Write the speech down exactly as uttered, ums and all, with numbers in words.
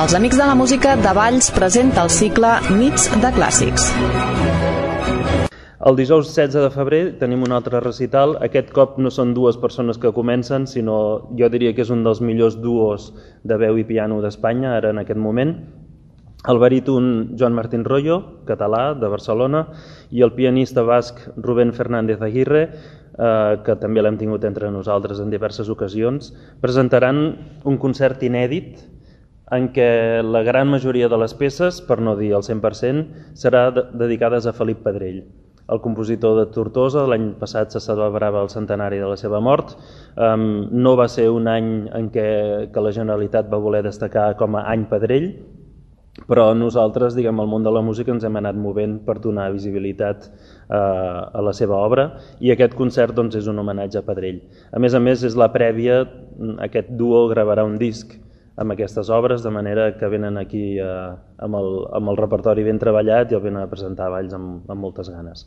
Els Amics de la Música de Valls presenta el cicle Nits de Clàssics. El dijous setze de febrer tenim un altre recital. Aquest cop no són dues persones que comencen, sinó jo diria que és un dels millors duos de veu i piano d'Espanya, ara en aquest moment. El baríton Joan Martín Royo, català, de Barcelona, i el pianista basc Rubén Fernández Aguirre, eh, que també l'hem tingut entre nosaltres en diverses ocasions, presentaran un concert inèdit en què la gran majoria de les peces, per no dir el cent per cent, serà de- dedicades a Felip Pedrell, el compositor de Tortosa. L'any passat se celebrava el centenari de la seva mort. Um, no va ser un any en què que la Generalitat va voler destacar com a any Pedrell, però nosaltres, diguem, al món de la música ens hem anat movent per donar visibilitat eh, a la seva obra, i aquest concert doncs, és un homenatge a Pedrell. A més a més, és la prèvia, aquest duo gravarà un disc amb aquestes obres, de manera que venen aquí eh, amb, el, amb el repertori ben treballat i el venen a presentar a Valls amb, amb moltes ganes.